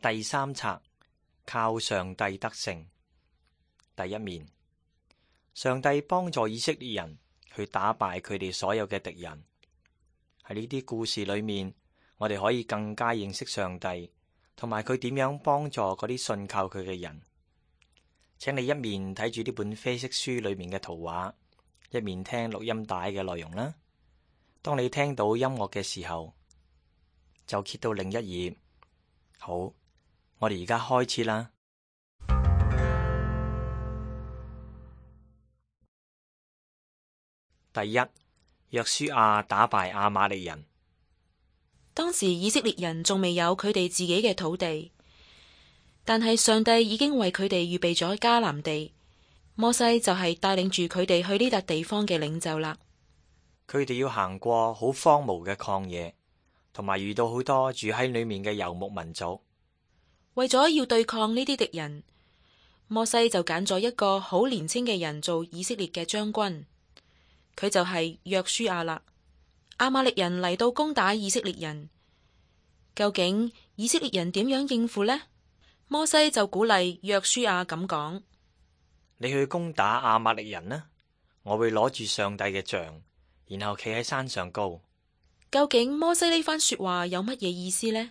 第三冊，靠上帝得勝。第一面，上帝幫助以色列人去打敗佢哋所有嘅敵人。喺呢啲故事裏面，我哋可以更加認識上帝，同埋佢點樣幫助嗰啲信靠佢嘅人。請你一面睇住呢本啡色書裏面嘅圖畫，一面聽錄音帶嘅內容啦。當你聽到音樂嘅時候，就揭到另一頁。好，我哋而家開始啦。第一，約書亞打敗亞瑪力人。當時以色列人仲未有佢哋自己嘅土地，但係上帝已經為佢哋預備咗迦南地。摩西就係帶領住佢哋去呢笪地方嘅領袖啦。佢哋要行過好荒蕪嘅曠野，同埋遇到好多住喺裏面嘅游牧民族。為咗要對抗呢啲敵人，摩西就揀咗一個好年輕嘅人做以色列嘅將軍，佢就係約書亞啦。亞瑪力人嚟到攻打以色列人，究竟以色列人點樣應付呢？摩西就鼓勵約書亞咁講：你去攻打亞瑪力人啦，我會攞住上帝嘅杖，然後企喺山上高。究竟摩西呢番說話有乜嘢意思呢？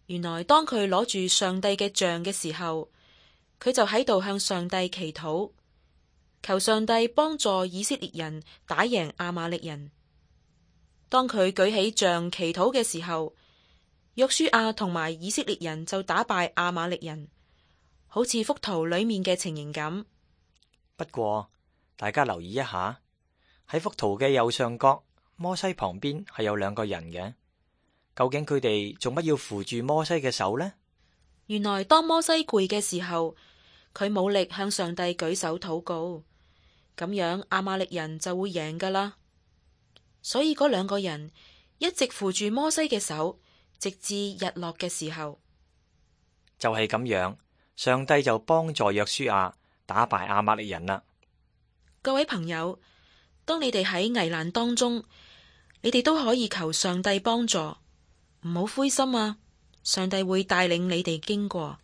原來當佢攞住上帝嘅杖嘅時候，佢就喺度向上帝祈禱，求上帝幫助以色列人打贏亞瑪力人。當佢舉起杖祈禱嘅時候，約書亞同埋以色列人就打敗亞瑪力人，好似幅圖裏面嘅情形咁。不過大家留意一下，喺幅圖嘅右上角，摩西旁邊係有兩個人嘅。究竟佢哋做乜要扶住摩西嘅手呢？原來當摩西攰嘅時候，佢冇力向上帝舉手禱告，咁樣亞瑪力人就會贏噶啦。所以嗰兩個人一直扶住摩西嘅手，直至日落嘅時候。就係咁樣，上帝就幫助約書亞打敗亞瑪力人啦。各位朋友，當你哋喺危難當中，你哋都可以求上帝幫助。唔好灰心啊！上帝會帶領你哋經過。